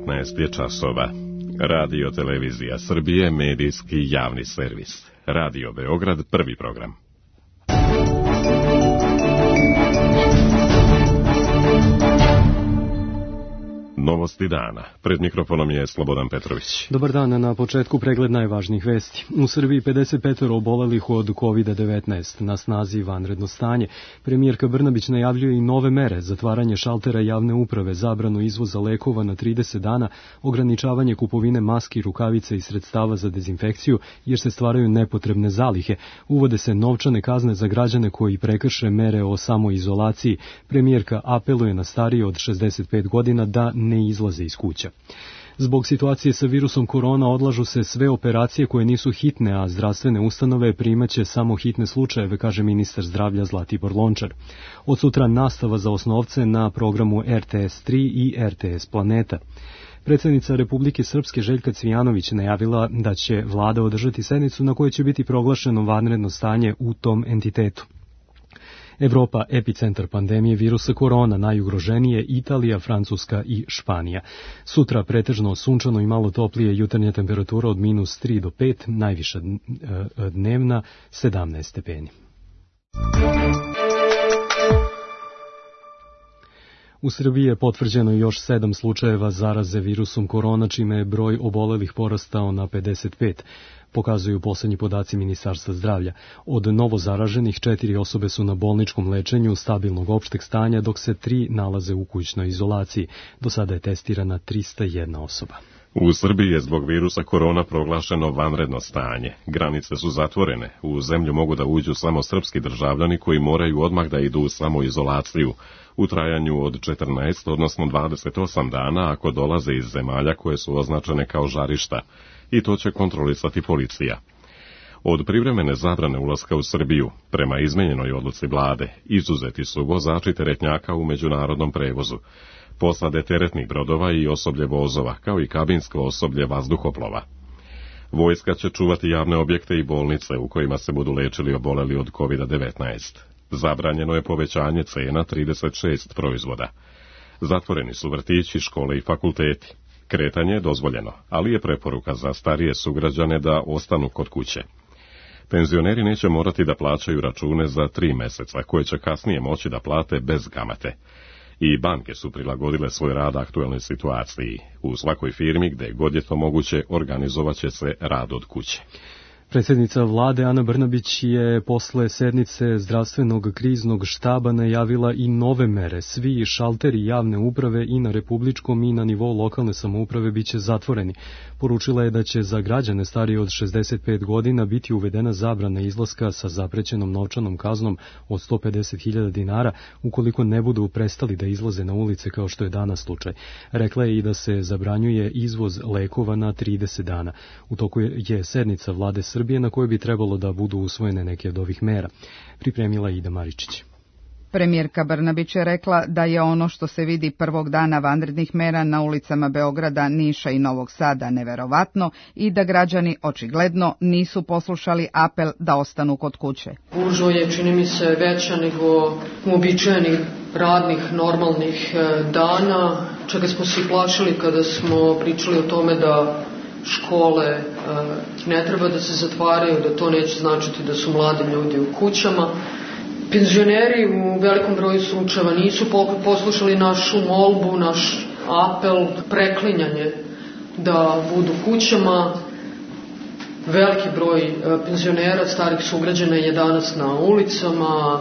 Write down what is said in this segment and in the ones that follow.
19 je časova. Radio Televizija Srbije, medijski javni servis. Radio Beograd, prvi program. Novosti dana. Pred mikrofonom je Slobodan Petrović. Dobar dan, na početku pregled najvažnijih vesti. U Srbiji 55 obolelih od COVID-19, na snazi vanredno stanje. Premijerka Brnabić najavljuje i nove mere, zatvaranje šaltera javne uprave, zabranu izvoza lekova na 30 dana, ograničavanje kupovine maski, rukavica i sredstava za dezinfekciju, jer se stvaraju nepotrebne zalihe. Uvode se novčane kazne za građane koji prekrše mere o samoizolaciji. Premijerka apeluje na starije od 65 godina da ne izlaze iz kuća. Zbog situacije sa virusom korona odlažu se sve operacije koje nisu hitne, a zdravstvene ustanove primaće samo hitne slučajeve, kaže ministar zdravlja Zlatibor Lončar. Od sutra nastava za osnovce na programu RTS 3 i RTS Planeta. Predsjednica Republike Srpske Željka Cvijanović najavila da će vlada održati sednicu na kojoj će biti proglašeno vanredno stanje u tom entitetu. Evropa, epicentar pandemije virusa korona, najugroženije Italija, Francuska i Španija. Sutra pretežno sunčano i malo toplije, jutarnja temperatura od -3 do 5, najviša dnevna 17 stepeni. U Srbiji je potvrđeno još 7 slučajeva zaraze virusom korona, čime je broj obolelih porastao na 55. Pokazuju poslednji podaci Ministarstva zdravlja. Od novo zaraženih 4 osobe su na bolničkom lečenju stabilnog opšteg stanja, dok se 3 nalaze u kućnoj izolaciji. Do sada je testirana 301 osoba. U Srbiji je zbog virusa korona proglašeno vanredno stanje. Granice su zatvorene. U zemlju mogu da uđu samo srpski državljani koji moraju odmah da idu u samoizolaciju u trajanju od 14, odnosno 28 dana ako dolaze iz zemalja koje su označene kao žarišta. I to će kontrolisati policija. Od privremene zabrane ulaska u Srbiju, prema izmenjenoj odluci vlade, izuzeti su vozači teretnjaka u međunarodnom prevozu, posade teretnih brodova i osoblje vozova, kao i kabinsko osoblje vazduhoplova. Vojska će čuvati javne objekte i bolnice u kojima se budu lečili oboleli od COVID-19. Zabranjeno je povećanje cena 36 proizvoda. Zatvoreni su vrtići, škole i fakulteti. Kretanje je dozvoljeno, ali je preporuka za starije sugrađane da ostanu kod kuće. Penzioneri neće morati da plaćaju račune za 3 meseca, koje će kasnije moći da plate bez kamate. I banke su prilagodile svoj rad aktuelnoj situaciji. U svakoj firmi, gde god je to moguće, organizovat će se rad od kuće. Predsjednica vlade Ana Brnabić je posle sednice zdravstvenog kriznog štaba najavila i nove mere. Svi šalteri javne uprave i na republičkom i na nivou lokalne samouprave biće zatvoreni. Poručila je da će za građane starije od 65 godina biti uvedena zabrana izlaska sa zaprećenom novčanom kaznom od 150.000 dinara ukoliko ne budu prestali da izlaze na ulice kao što je danas slučaj. Rekla je i da se zabranjuje izvoz lekova na 30 dana. U toku je sednica vlade Srbije na kojoj bi trebalo da budu usvojene neke od ovih mera. Pripremila je Ida Maričić. Premijerka Brnabić je rekla da je ono što se vidi prvog dana vanrednih mera na ulicama Beograda, Niša i Novog Sada neverovatno i da građani očigledno nisu poslušali apel da ostanu kod kuće. Gužva je, čini mi se, veća nego uobičajenih radnih, normalnih dana, čega smo se plašili kada smo pričali o tome da škole ne treba da se zatvaraju, da to neće značiti da su mladi ljudi u kućama. Penzioneri u velikom broju slučajeva nisu poslušali našu molbu, naš apel, preklinjanje da budu kućama. Veliki broj penzionera, starih sugrađana je danas na ulicama,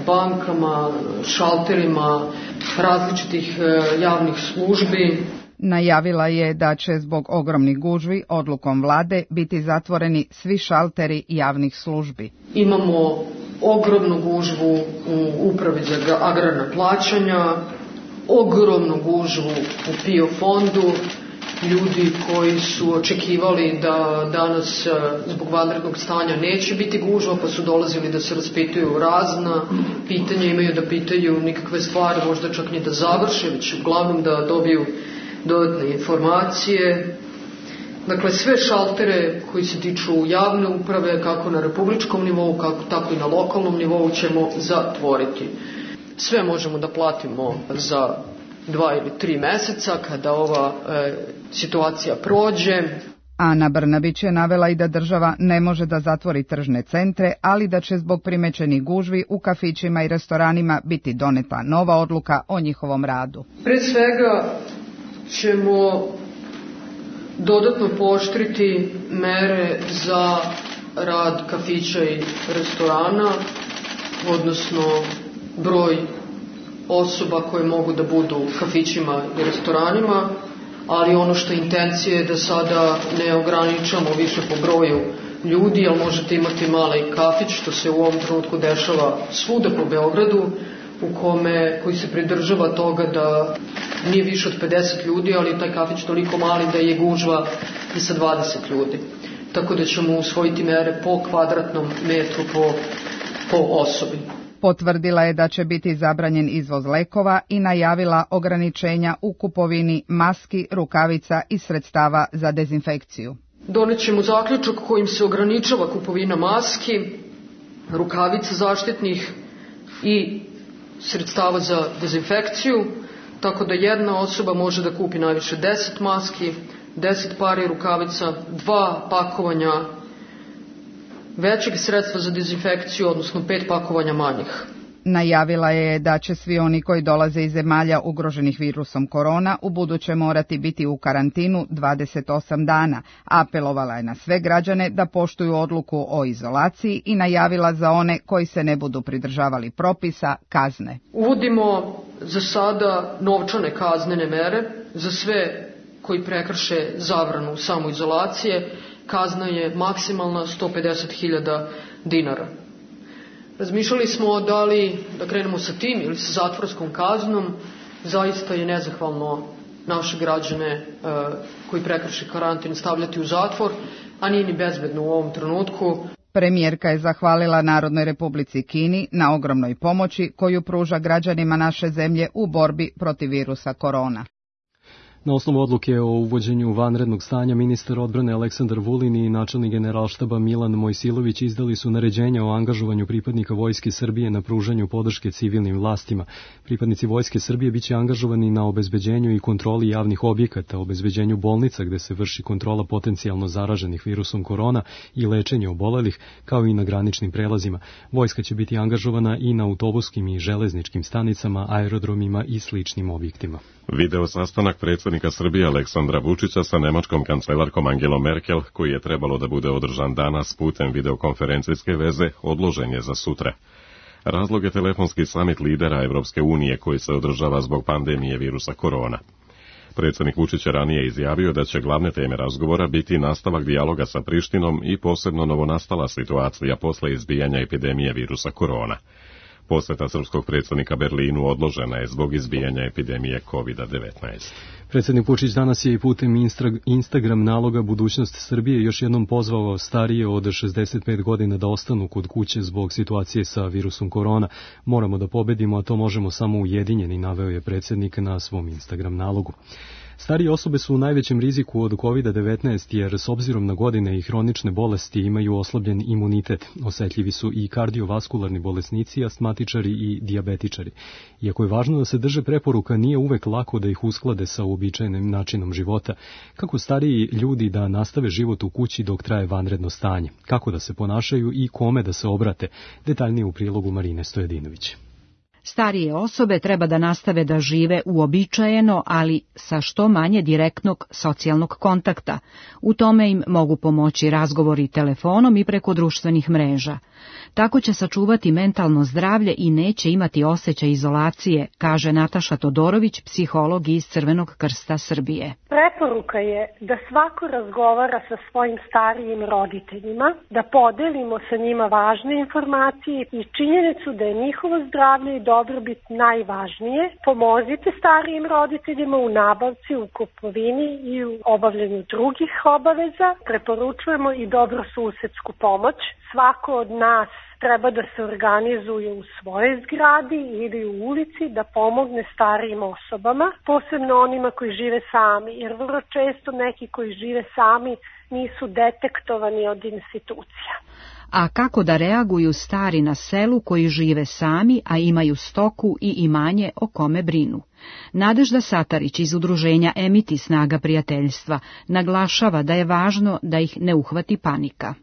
bankama, šalterima različitih javnih službi. Najavila je da će zbog ogromnih gužvi odlukom vlade biti zatvoreni svi šalteri javnih službi. Imamo ogromnu gužvu u Upravi za agrarna plaćanja, ogromnu gužvu u PIO fondu, ljudi koji su očekivali da danas zbog vanrednog stanja neće biti gužva, pa su dolazili da se raspituju razna pitanja, imaju da pitaju nikakve stvari, možda čak ni da završe, već uglavnom da dobiju dodatne informacije. Dakle, sve šaltere koji se tiču javne uprave, kako na republičkom nivou, tako i na lokalnom nivou ćemo zatvoriti. Sve možemo da platimo za 2 ili 3 meseca kada ova situacija prođe. Ana Brnabić je navela i da država ne može da zatvori tržne centre, ali da će zbog primećenih gužvi u kafićima i restoranima biti doneta nova odluka o njihovom radu. Pre svega ćemo dodatno pooštriti mere za rad kafića i restorana, odnosno broj osoba koje mogu da budu u kafićima i restoranima, ali ono što je intencija je da sada ne ograničamo više po broju ljudi, jer možete imati mali kafić, što se u ovom trenutku dešava svuda po Beogradu, koji se pridržava toga da nije više od 50 ljudi, ali taj kafić toliko mali da je gužva i sa 20 ljudi. Tako da ćemo usvojiti mere po kvadratnom metru po osobi. Potvrdila je da će biti zabranjen izvoz lekova i najavila ograničenja u kupovini maski, rukavica i sredstava za dezinfekciju. Donećemo zaključak kojim se ograničava kupovina maski, rukavica zaštitnih i sredstava za dezinfekciju, tako da jedna osoba može da kupi najviše 10 maski, 10 pari rukavica, 2 pakovanja većeg sredstva za dezinfekciju, odnosno 5 pakovanja manjih. Najavila je da će svi oni koji dolaze iz zemalja ugroženih virusom korona u buduće morati biti u karantinu 28 dana. Apelovala je na sve građane da poštuju odluku o izolaciji i najavila za one koji se ne budu pridržavali propisa kazne. Uvodimo za sada novčane kaznene mere za sve koji prekrše zabranu samoizolacije. Kazna je maksimalna 150.000 dinara. Razmišljali smo da li da krenemo sa tim ili sa zatvorskom kaznom. Zaista je nezahvalno naše građane koji prekrše karantin stavljati u zatvor, a nije ni bezbedno u ovom trenutku. Premijerka je zahvalila Narodnoj Republici Kini na ogromnoj pomoći koju pruža građanima naše zemlje u borbi protiv virusa korona. Na osnovu odluke o uvođenju vanrednog stanja, ministar odbrane Aleksandar Vulin i načelnik Generalštaba Milan Mojsilović izdali su naređenja o angažovanju pripadnika Vojske Srbije na pružanju podrške civilnim vlastima. Pripadnici Vojske Srbije biće angažovani na obezbeđenju i kontroli javnih objekata, obezbeđenju bolnica gde se vrši kontrola potencijalno zaraženih virusom korona i lečenje obolelih, kao i na graničnim prelazima. Vojska će biti angažovana i na autobuskim i železničkim stanicama, aerodromima i sličnim objektima. Video sastanak predsjednika Srbije Aleksandra Vučića sa nemačkom kancelarkom Angelom Merkel, koji je trebalo da bude održan danas putem videokonferencijske veze, odložen je za sutra. Razlog je telefonski samit lidera Evropske unije koji se održava zbog pandemije virusa korona. Predsjednik Vučić je ranije izjavio da će glavne teme razgovora biti nastavak dijaloga sa Prištinom i posebno novonastala situacija posle izbijanja epidemije virusa korona. Poseta srpskog predsjednika Berlinu odložena je zbog izbijanja epidemije COVID-19. Predsjednik Vučić danas je i putem Instagram naloga Budućnost Srbije još jednom pozvao starije od 65 godina da ostanu kod kuće zbog situacije sa virusom korona. Moramo da pobedimo, a to možemo samo ujedinjeni, naveo je predsjednik na svom Instagram nalogu. Starije osobe su u najvećem riziku od COVID-19 jer s obzirom na godine i hronične bolesti imaju oslabljen imunitet. Osetljivi su i kardiovaskularni bolesnici, astmatičari i dijabetičari. Iako je važno da se drže preporuka, nije uvek lako da ih usklade sa uobičajenim načinom života. Kako stariji ljudi da nastave život u kući dok traje vanredno stanje? Kako da se ponašaju i kome da se obrate? Detaljnije u prilogu Marine Stojedinović. Starije osobe treba da nastave da žive uobičajeno, ali sa što manje direktnog socijalnog kontakta. U tome im mogu pomoći razgovori telefonom i preko društvenih mreža. Tako će sačuvati mentalno zdravlje i neće imati osjećaj izolacije, kaže Nataša Todorović, psiholog iz Crvenog krsta Srbije. Preporuka je da svako razgovara sa svojim starijim roditeljima, da podelimo sa njima važne informacije i činjenicu da je njihovo zdravlje i dobrobit najvažnije. Pomozite starijim roditeljima u nabavci, u kupovini i u obavljanju drugih obaveza. Preporučujemo i dobrosusedsku pomoć. Svako od nas treba da se organizuje u svojoj zgradi ili u ulici da pomogne starijim osobama, posebno onima koji žive sami, jer vrlo često neki koji žive sami nisu detektovani od institucija. a kako da reaguju stari na selu koji žive sami, a imaju stoku i imanje o kome brinu. Nadežda Satarić iz udruženja Emiti snaga prijateljstva naglašava da je važno da ih ne uhvati panika.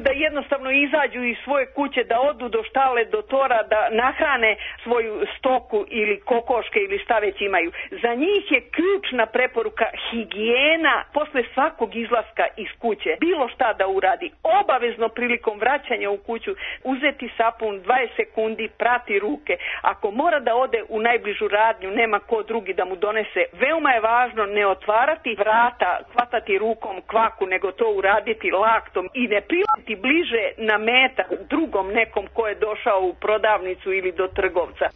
Da jednostavno izađu iz svoje kuće, da odu do štale, do tora, da nahrane svoju stoku ili kokoške ili šta već imaju. Za njih je ključna preporuka higijena posle svakog izlaska iz kuće. Bilo šta da uradi. Obavezno prilikom vraćanja u kuću uzeti sapun 20 sekundi, prati ruke. Ako mora da ode u najbližu radnju, nema ko drugi da mu donese. Veoma je važno ne otvarati vrata, hvatati rukom kvaku, nego to uraditi laktom i ne prilaziti bliže na metar drugom nekom ko je došao u prodavnicu ili do trgovca.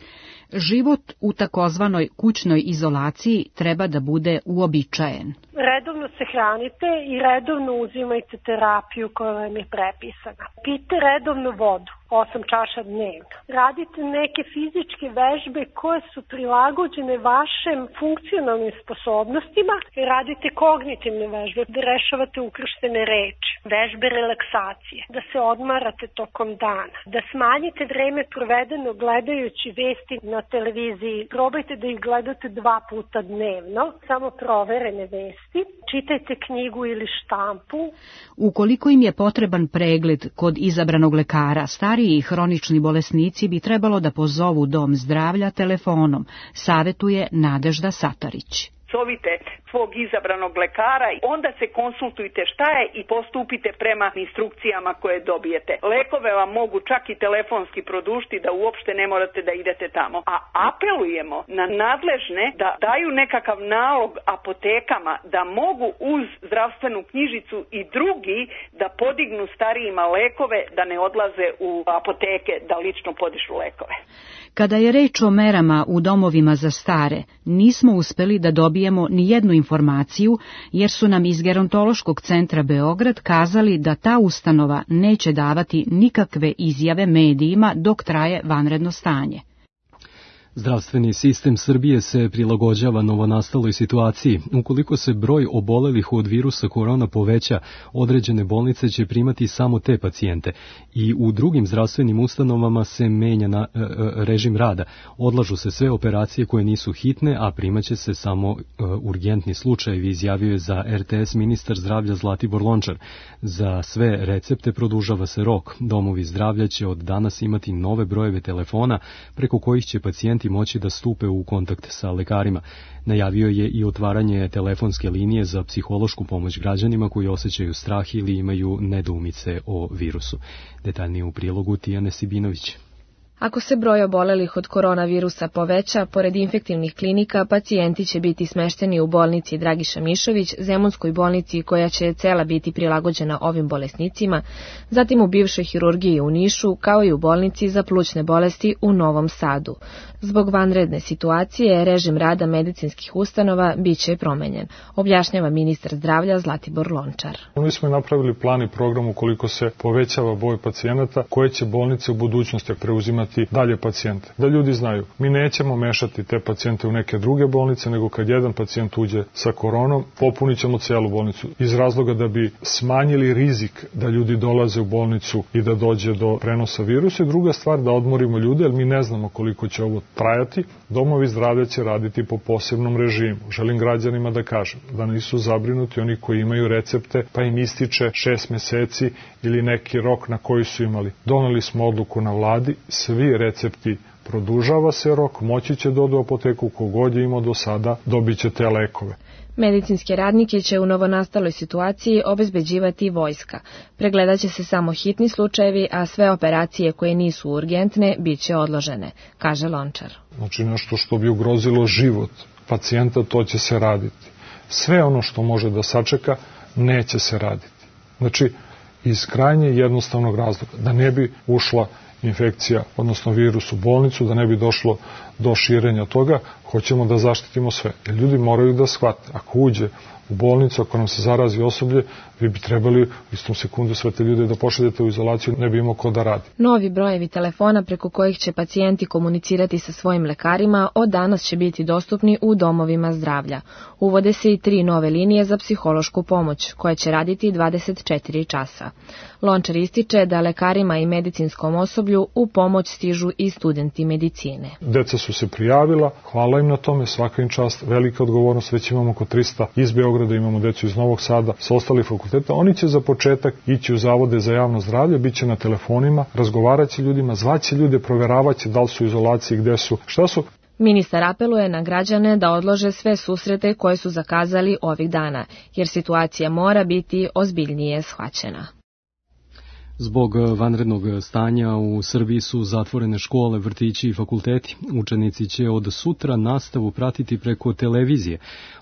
Život u takozvanoj kućnoj izolaciji treba da bude uobičajen. Redovno se hranite i redovno uzimajte terapiju koja vam je prepisana. Pijte redovno vodu, 8 čaša dnevno. Radite neke fizičke vežbe koje su prilagođene vašim funkcionalnim sposobnostima. Radite kognitivne vežbe, da rešavate ukrštene reči, vežbe relaksacije, da se odmarate tokom dana, da smanjite vreme provedeno gledajući vesti na televiziji. Probajte da ih gledate 2 puta dnevno, samo proverene vesti. Čitajte knjigu ili štampu. Ukoliko im je potreban pregled kod izabranog lekara, stariji i hronični bolesnici bi trebalo da pozovu dom zdravlja telefonom, savetuje Nadežda Satarić. Zovite svog izabranog lekara, onda se konsultujte šta je i postupite prema instrukcijama koje dobijete. Lekove vam mogu čak i telefonski produžiti da uopšte ne morate da idete tamo. A apelujemo na nadležne da daju nekakav nalog apotekama da mogu uz zdravstvenu knjižicu i drugi da podignu starijima lekove, da ne odlaze u apoteke da lično podižu lekove. Kada je reč o merama u domovima za stare, nismo uspeli da dobijemo ni jednu informaciju, jer su nam iz Gerontološkog centra Beograd kazali da ta ustanova neće davati nikakve izjave medijima dok traje vanredno stanje. Zdravstveni sistem Srbije se prilagođava novonastaloj situaciji. Ukoliko se broj obolelih od virusa korona poveća, određene bolnice će primati samo te pacijente i u drugim zdravstvenim ustanovama se menja režim rada. Odlažu se sve operacije koje nisu hitne, a primaće se samo urgentni slučajevi, izjavio je za RTS ministar zdravlja Zlatibor Lončar. Za sve recepte produžava se rok. Domovi zdravlja će od danas imati nove brojeve telefona preko kojih će pacijenti moći da stupe u kontakt sa lekarima. Najavio je i otvaranje telefonske linije za psihološku pomoć građanima koji osjećaju strah ili imaju nedoumice o virusu. Detaljnije u prilogu Tijane Sibinović. Ako se broj obolelih od koronavirusa poveća, pored infektivnih klinika, pacijenti će biti smešteni u bolnici Dragiša Mišović, Zemunskoj bolnici koja će cela biti prilagođena ovim bolesnicima, zatim u bivšoj hirurgiji u Nišu, kao i u bolnici za plućne bolesti u Novom Sadu. Zbog vanredne situacije, režim rada medicinskih ustanova biće promenjen, objašnjava ministar zdravlja Zlatibor Lončar. Mi smo napravili plan i program ukoliko se povećava broj pacijenata, koje će bolnice u budućnosti preuzimati dalje pacijente. Da ljudi znaju, mi nećemo mešati te pacijente u neke druge bolnice, nego kad jedan pacijent uđe sa koronom, popunit ćemo celu bolnicu. Iz razloga da bi smanjili rizik da ljudi dolaze u bolnicu i da dođe do prenosa virusa. I druga stvar, da odmorimo ljude, jer mi ne znamo koliko će ovo trajati. Domovi zdravlja će raditi po posebnom režimu. Želim građanima da kažem da nisu zabrinuti oni koji imaju recepte, pa im ističe 6 meseci ili neki rok na koji su imali. Doneli smo odluku na vladi, svi recepti produžava se rok, moći će da odu u apoteku, kogod je imao do sada, dobit će te lekove. Medicinske radnike će u novonastaloj situaciji obezbeđivati vojska. Pregledat će se samo hitni slučajevi, a sve operacije koje nisu urgentne bit će odložene, kaže Lončar. Znači nešto što bi ugrozilo život pacijenta, to će se raditi. Sve ono što može da sačeka, neće se raditi. Znači, iz krajnje jednostavnog razloga, da ne bi ušla infekcija, odnosno virus u bolnicu, da ne bi došlo do širenja toga, hoćemo da zaštitimo sve. Jer ljudi moraju da shvate, ako uđe u bolnicu, ako nam se zarazi osoblje, vi bi trebali u istom sekundu sve te ljude da pošaljete u izolaciju, ne bi imao ko da radi. Novi brojevi telefona preko kojih će pacijenti komunicirati sa svojim lekarima od danas će biti dostupni u domovima zdravlja. Uvode se i 3 nove linije za psihološku pomoć, koje će raditi 24 časa. Lončar ističe da lekarima i medicinskom osoblju u pomoć stižu i studenti medicine. Deca su se prijavila, hvala im na tome, svaka im čast, velika odgovornost, već imamo oko 300 iz Beograda, imamo decu iz Novog Sada, sa ostalih fakulteta. Oni će za početak ići u zavode za javno zdravlje, bit će na telefonima, razgovarat će ljudima, zvaće ljude, proveravat će da li su u izolaciji, gde su, šta su. Ministar apeluje na građane da odlože sve susrete koje su zakazali ovih dana, jer situacija mora biti ozbiljnije shvaćena. Zbog vanrednog stanja u Srbiji su zatvorene škole, vrtići i fakulteti. Učenici će od sutra nastavu pratiti preko televizije.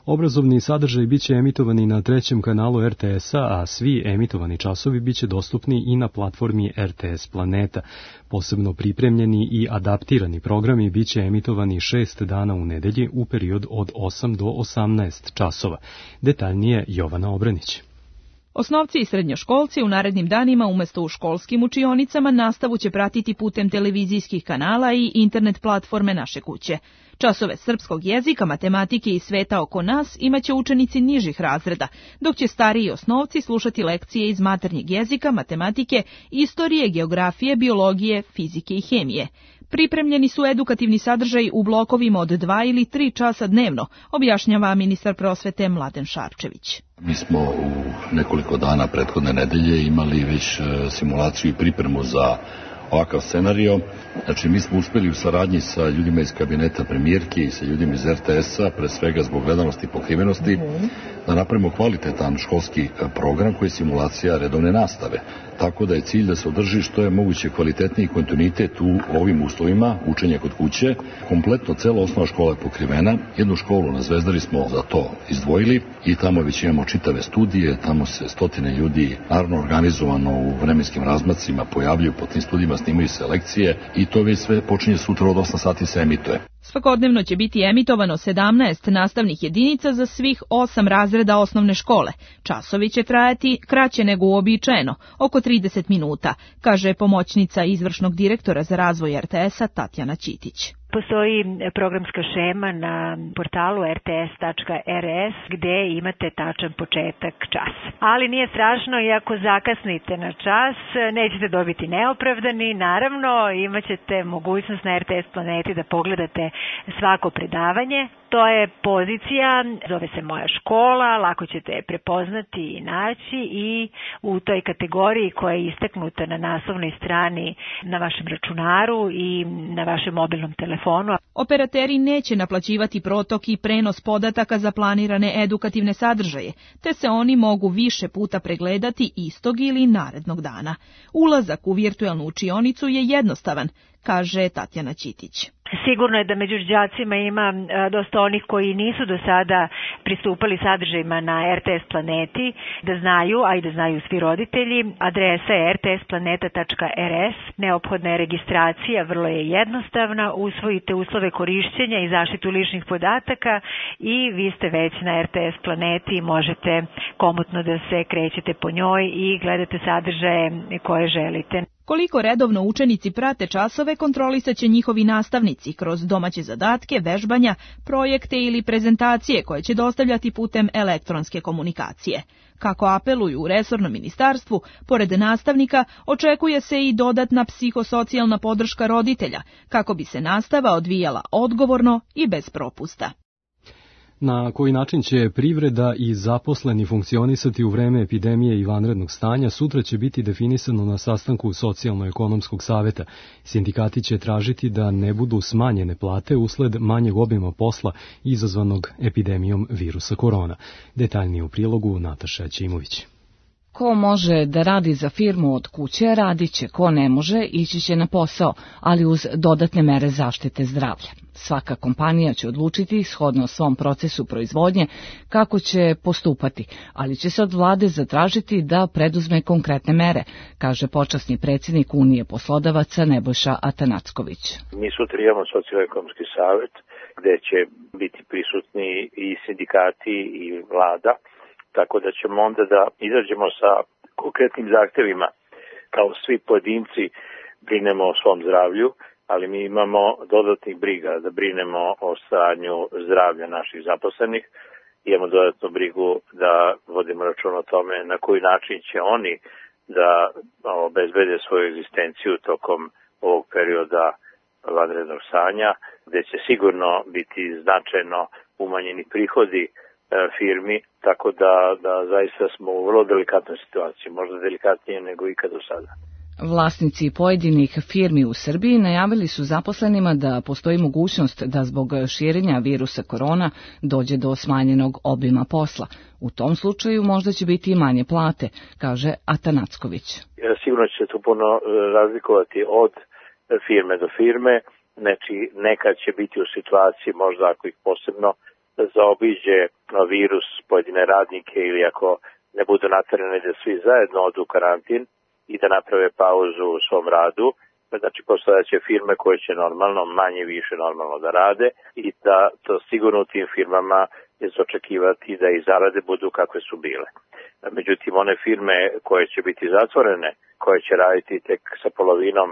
Obrazovni sadržaj biće emitovani na 3. kanalu RTS-a, a svi emitovani časovi biće dostupni i na platformi RTS Planeta. Posebno pripremljeni i adaptirani programi biće emitovani 6 dana u nedelji u period od 8 do 18 časova. Detaljnije Jovana Obrenić. Osnovci i srednjoškolci u narednim danima umjesto u školskim učionicama nastavu će pratiti putem televizijskih kanala i internet platforme Naše kuće. Časove srpskog jezika, matematike i sveta oko nas imaće učenici nižih razreda, dok će stariji osnovci slušati lekcije iz maternjeg jezika, matematike, istorije, geografije, biologije, fizike i hemije. Pripremljeni su edukativni sadržaj u blokovima od 2 ili 3 časa dnevno, objašnjava ministar prosvete Mladen Šarčević. Mi smo u nekoliko dana prethodne nedelje imali već simulaciju i pripremu za ovakav scenario. Znači, mi smo uspeli u saradnji sa ljudima iz kabineta premijerke i sa ljudima iz RTS-a, pre svega zbog gledanosti i pokrivenosti, da napravimo kvalitetan školski program koji je simulacija redovne nastave. Tako da je cilj da se održi što je moguće kvalitetniji kontinuitet u ovim uslovima, učenje kod kuće. Kompletno cela osnovna škola je pokrivena. Jednu školu na Zvezdari smo za to izdvojili i tamo već imamo čitave studije, tamo se stotine ljudi naravno organizovano u vremenskim razmacima pojavljuju po tim studijima, snimaju se lekcije i to već sve počinje sutra od 8 sati se emituje. Svakodnevno će biti emitovano 17 nastavnih jedinica za svih 8 razreda osnovne škole. Časovi će trajati kraće nego uobičajeno, oko 30 minuta, kaže pomoćnica izvršnog direktora za razvoj RTS-a Tatjana Ćitić. Postoji programska šema na portalu rts.rs gde imate tačan početak časa. Ali nije strašno i ako zakasnite na čas, nećete dobiti neopravdani. Naravno, imat ćete mogućnost na RTS Planeti da pogledate svako predavanje. To je pozicija, zove se Moja škola, lako ćete je prepoznati i naći i u toj kategoriji koja je istaknuta na naslovnoj strani na vašem računaru i na vašem mobilnom telefonu. Operateri neće naplaćivati protok i prenos podataka za planirane edukativne sadržaje, te se oni mogu više puta pregledati istog ili narednog dana. Ulazak u virtualnu učionicu je jednostavan, kaže Tatjana Ćitić. Sigurno je da među đacima ima dosta onih koji nisu do sada pristupali sadržajima na RTS Planeti, da znaju, a i da znaju svi roditelji. Adresa je rtsplaneta.rs, neophodna je registracija, vrlo je jednostavna, usvojite uslove korišćenja i zaštitu ličnih podataka i vi ste već na RTS Planeti i možete komotno da se krećete po njoj i gledate sadržaje koje želite. Koliko redovno učenici prate časove, kontrolisat će njihovi nastavnici kroz domaće zadatke, vežbanja, projekte ili prezentacije koje će dostavljati putem elektronske komunikacije. Kako apeluju u resornom ministarstvu, pored nastavnika očekuje se i dodatna psihosocijalna podrška roditelja, kako bi se nastava odvijala odgovorno i bez propusta. Na koji način će privreda i zaposleni funkcionisati u vreme epidemije i vanrednog stanja sutra će biti definisano na sastanku Socijalno-ekonomskog saveta. Sindikati će tražiti da ne budu smanjene plate usled manjeg obima posla izazvanog epidemijom virusa korona. Detaljnije u prilogu Nataša Ćimović. Ko može da radi za firmu od kuće, radit će, ko ne može, ići će na posao, ali uz dodatne mere zaštite zdravlja. Svaka kompanija će odlučiti, shodno svom procesu proizvodnje, kako će postupati, ali će se od vlade zatražiti da preduzme konkretne mere, kaže počasni predsjednik Unije poslodavaca Nebojša Atanacković. Mi sutra imamo socijalno-ekonomski savet, gde će biti prisutni i sindikati i vlada, tako da ćemo onda da izađemo sa konkretnim zahtevima. Kao svi pojedinci brinemo o svom zdravlju, ali mi imamo dodatnih briga da brinemo o stanju zdravlja naših zaposlenih. Imamo dodatnu brigu da vodimo račun o tome na koji način će oni da obezbede svoju egzistenciju tokom ovog perioda vanrednog stanja, gde će sigurno biti značajno umanjeni prihodi firmi, tako da zaista smo u vrlo delikatnoj situaciji, možda delikatnije nego ikad do sada. Vlasnici pojedinih firmi u Srbiji najavili su zaposlenima da postoji mogućnost da zbog širenja virusa korona dođe do smanjenog obima posla. U tom slučaju možda će biti i manje plate, kaže Atanacković. Sigurno će se to puno razlikovati od firme do firme, znači nekad će biti u situaciji, možda ako ih posebno zaobiđe virus pojedine radnike ili ako ne budu naterani da svi zajedno odu u karantin i da naprave pauzu u svom radu, znači postojaće firme koje će normalno, manje više normalno da rade i da to sigurno u tim firmama je za očekivati da i zarade budu kakve su bile. Međutim, one firme koje će biti zatvorene, koje će raditi tek sa polovinom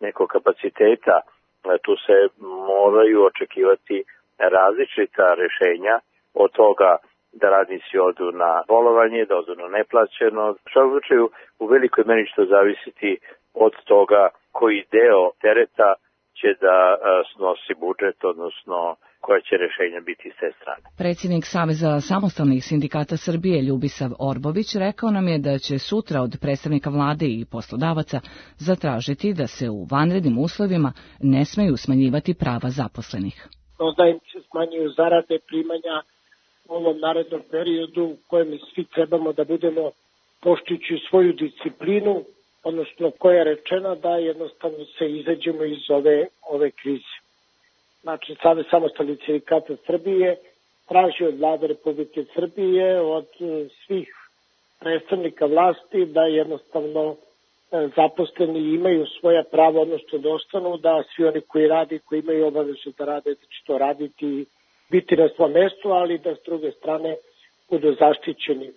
nekog kapaciteta, tu se moraju očekivati različita rešenja od toga da radnici odu na bolovanje, da odu na neplaćeno. U svakom slučaju, u velikoj meri će to zavisiti od toga koji deo tereta će da snosi budžet, odnosno koja će rešenja biti s te strane. Predsjednik Saveza samostalnih sindikata Srbije Ljubisav Orbović rekao nam je da će sutra od predstavnika vlade i poslodavaca zatražiti da se u vanrednim uslovima ne smeju smanjivati prava zaposlenih. Da im se smanjuju zarade, primanja u ovom narednom periodu u kojem svi trebamo da budemo poštujući svoju disciplinu, odnosno koja je rečena da jednostavno se izađemo iz ove krize. Znači, Savez samostalnih sindikata Srbije traži od vlade Republike Srbije, od svih predstavnika vlasti da jednostavno zaposleni imaju svoja prava, odnosno da ostanu, da svi oni koji radi, koji imaju obavezu da rade, da će to raditi i biti na svom mestu, ali da s druge strane budu zaštićeni.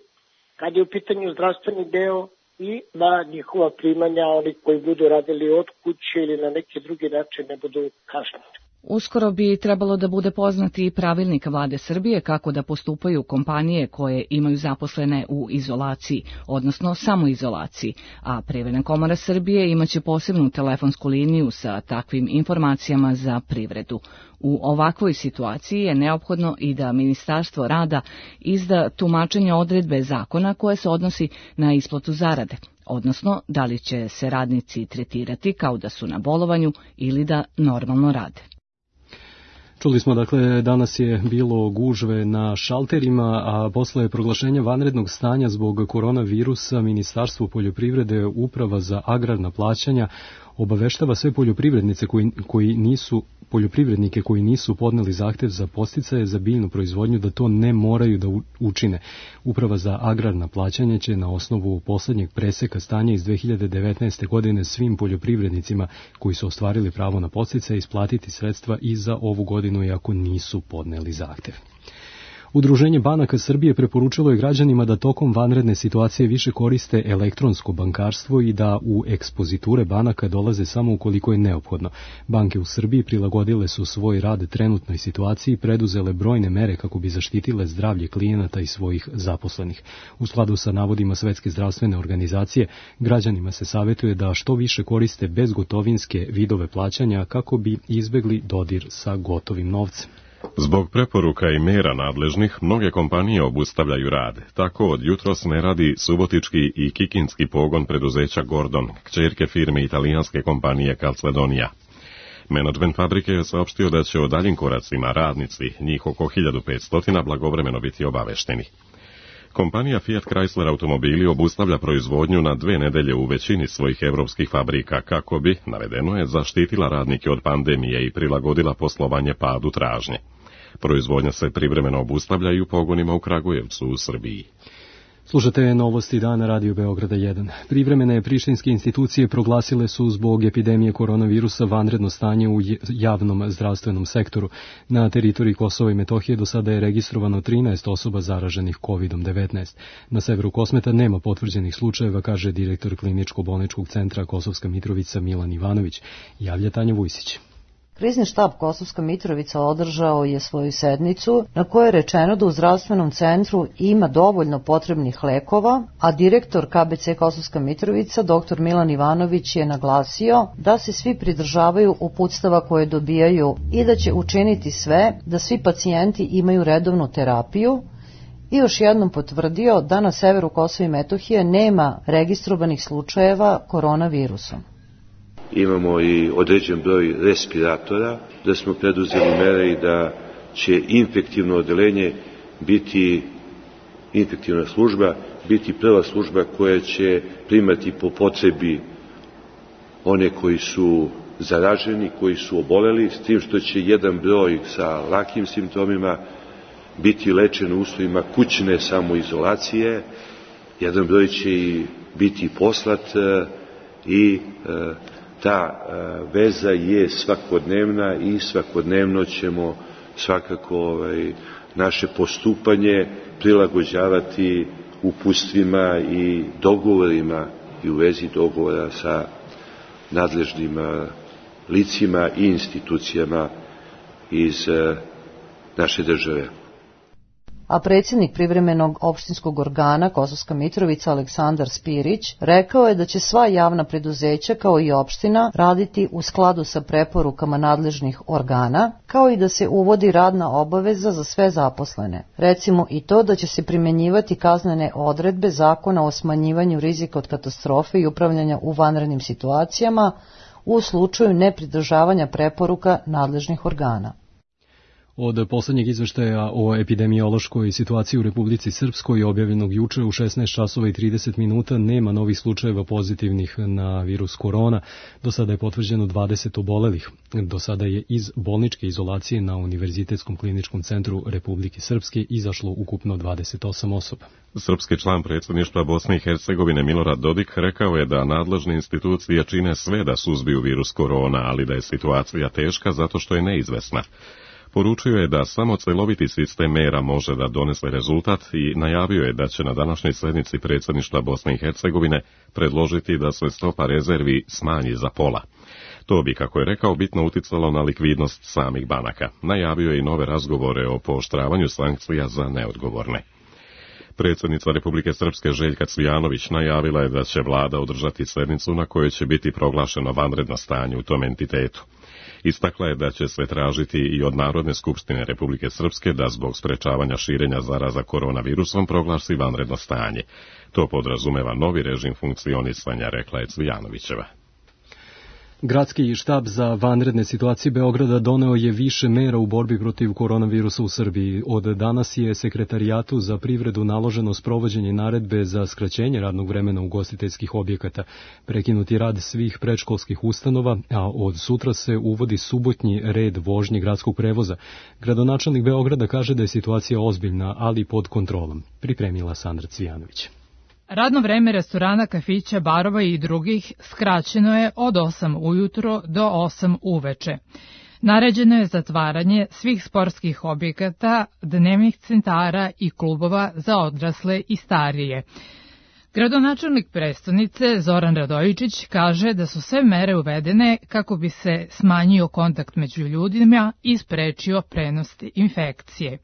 Kad je u pitanju zdravstveni deo i da njihova primanja, oni koji budu radili od kuće ili na neki drugi način ne budu kažnjeni. Uskoro bi trebalo da bude poznati i pravilnik vlade Srbije kako da postupaju kompanije koje imaju zaposlene u izolaciji, odnosno samoizolaciji, a Privredna komora Srbije imaće posebnu telefonsku liniju sa takvim informacijama za privredu. U ovakvoj situaciji je neophodno i da Ministarstvo rada izda tumačenje odredbe zakona koje se odnosi na isplatu zarade, odnosno da li će se radnici tretirati kao da su na bolovanju ili da normalno rade. Čuli smo, dakle, danas je bilo gužve na šalterima, a posle proglašenja vanrednog stanja zbog koronavirusa Ministarstvo poljoprivrede, Uprava za agrarna plaćanja, obaveštava sve poljoprivrednike koji nisu podneli zahtev za podsticaje za biljnu proizvodnju da to ne moraju da učine. Uprava za agrarna plaćanja će na osnovu poslednjeg preseka stanja iz 2019. godine svim poljoprivrednicima koji su ostvarili pravo na podsticaje isplatiti sredstva i za ovu godinu iako nisu podneli zahtev. Udruženje banaka Srbije preporučilo je građanima da tokom vanredne situacije više koriste elektronsko bankarstvo i da u ekspoziture banaka dolaze samo ukoliko je neophodno. Banke u Srbiji prilagodile su svoj rad trenutnoj situaciji i preduzele brojne mere kako bi zaštitile zdravlje klijenata i svojih zaposlenih. U skladu sa navodima Svetske zdravstvene organizacije, građanima se savjetuje da što više koriste bezgotovinske vidove plaćanja kako bi izbegli dodir sa gotovim novcem. Zbog preporuka i mera nadležnih, mnoge kompanije obustavljaju rad. Tako od jutros ne radi subotički i kikinski pogon preduzeća Gordon, kćerke firme italijanske kompanije Calzedonia. Menadžment fabrike je saopštio da će o daljim koracima radnici, njih oko 1500, blagovremeno biti obavešteni. Kompanija Fiat Chrysler automobili obustavlja proizvodnju na 2 nedelje u većini svojih evropskih fabrika kako bi, navedeno je, zaštitila radnike od pandemije i prilagodila poslovanje padu tražnje. Proizvodnja se privremeno obustavlja i u pogonima u Kragujevcu u Srbiji. Slušate novosti dana Radio Beograda 1. Privremene prištinske institucije proglasile su zbog epidemije koronavirusa vanredno stanje u javnom zdravstvenom sektoru. Na teritoriji Kosova i Metohije do sada je registrovano 13 osoba zaraženih COVID-19. Na severu Kosmeta nema potvrđenih slučajeva, kaže direktor Kliničko-bolničkog centra Kosovska Mitrovica Milan Ivanović. Javlja Tanja Vujsić. Krizni štab Kosovska Mitrovica održao je svoju sednicu na kojoj je rečeno da u zdravstvenom centru ima dovoljno potrebnih lekova, a direktor KBC Kosovska Mitrovica dr. Milan Ivanović je naglasio da se svi pridržavaju uputstava koje dobijaju i da će učiniti sve da svi pacijenti imaju redovnu terapiju i još jednom potvrdio da na severu Kosova i Metohije nema registrovanih slučajeva koronavirusom. Imamo i određen broj respiratora, da smo preduzeli mere i da će infektivno odeljenje biti, infektivna služba, biti prva služba koja će primati po potrebi one koji su zaraženi, koji su oboleli, s tim što će jedan broj sa lakim simptomima biti lečen u uslovima kućne samoizolacije, jedan broj će i biti poslat i ta veza je svakodnevna i svakodnevno ćemo svakako naše postupanje prilagođavati uputstvima i dogovorima i u vezi dogovora sa nadležnim licima i institucijama iz naše države. A predsjednik privremenog opštinskog organa Kosovska Mitrovica Aleksandar Spirić rekao je da će sva javna preduzeća kao i opština raditi u skladu sa preporukama nadležnih organa, kao i da se uvodi radna obaveza za sve zaposlene. Recimo i to da će se primjenjivati kaznene odredbe Zakona o smanjivanju rizika od katastrofe i upravljanja u vanrednim situacijama u slučaju nepridržavanja preporuka nadležnih organa. Od poslednjeg izveštaja o epidemiološkoj situaciji u Republici Srpskoj objavljenog juče u 16 časova i 30 minuta nema novih slučajeva pozitivnih na virus korona. Do sada je potvrđeno 20 obolelih. Do sada je iz bolničke izolacije na Univerzitetskom kliničkom centru Republike Srpske izašlo ukupno 28 osoba. Srpski član predsjedništva Bosne i Hercegovine Milorad Dodik rekao je da nadležne institucije čine sve da suzbiju virus korona, ali da je situacija teška zato što je neizvesna. Poručio je da samo celoviti sistem mera može da donese rezultat i najavio je da će na današnjoj sednici predsjedništva Bosne i Hercegovine predložiti da se stopa rezervi smanji za pola. To bi, kako je rekao, bitno uticalo na likvidnost samih banaka. Najavio je i nove razgovore o pooštravanju sankcija za neodgovorne. Predsjednica Republike Srpske Željka Cvijanović najavila je da će vlada održati sednicu na kojoj će biti proglašeno vanredno stanje u tom entitetu. Istakla je da će se tražiti i od Narodne skupštine Republike Srpske da zbog sprečavanja širenja zaraza koronavirusom proglasi vanredno stanje. To podrazumeva novi režim funkcionisanja, rekla je Cvijanovićeva. Gradski štab za vanredne situacije Beograda doneo je više mera u borbi protiv koronavirusa u Srbiji. Od danas je Sekretarijatu za privredu naloženo sprovođenje naredbe za skraćenje radnog vremena ugostiteljskih objekata, prekinuti rad svih predškolskih ustanova, a od sutra se uvodi subotnji red vožnje gradskog prevoza. Gradonačelnik Beograda kaže da je situacija ozbiljna, ali pod kontrolom. Pripremila Sandra Cvijanović. Radno vreme restorana, kafića, barova i drugih skraćeno je od 8 ujutro do 8 uveče. Naređeno je zatvaranje svih sportskih objekata, dnevnih centara i klubova za odrasle i starije. Gradonačelnik prestonice Zoran Radojičić kaže da su sve mere uvedene kako bi se smanjio kontakt među ljudima i sprečio prenos infekcije.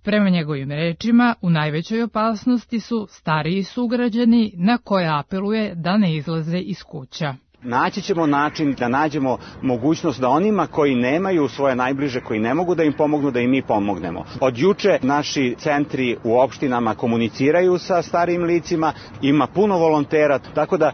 Prema njegovim rečima, u najvećoj opasnosti su stariji sugrađani na koje apeluje da ne izlaze iz kuća. Naći ćemo način da nađemo mogućnost da onima koji nemaju svoje najbliže, koji ne mogu da im pomognu, da im mi pomognemo. Od juče naši centri u opštinama komuniciraju sa starijim licima, ima puno volontera, tako da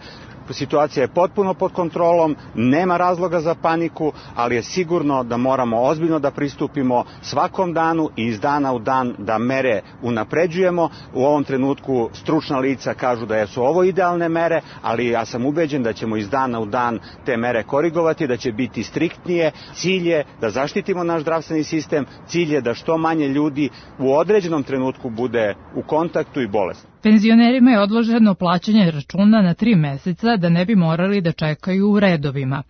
situacija je potpuno pod kontrolom, nema razloga za paniku, ali je sigurno da moramo ozbiljno da pristupimo svakom danu i iz dana u dan da mere unapređujemo. U ovom trenutku stručna lica kažu da su ovo idealne mere, ali ja sam ubeđen da ćemo iz dana u dan te mere korigovati, da će biti striktnije. Cilj je da zaštitimo naš zdravstveni sistem, cilj je da što manje ljudi u određenom trenutku bude u kontaktu i bolesno. Penzionerima je odloženo plaćanje računa na 3 meseca da ne bi morali da čekaju u redovima.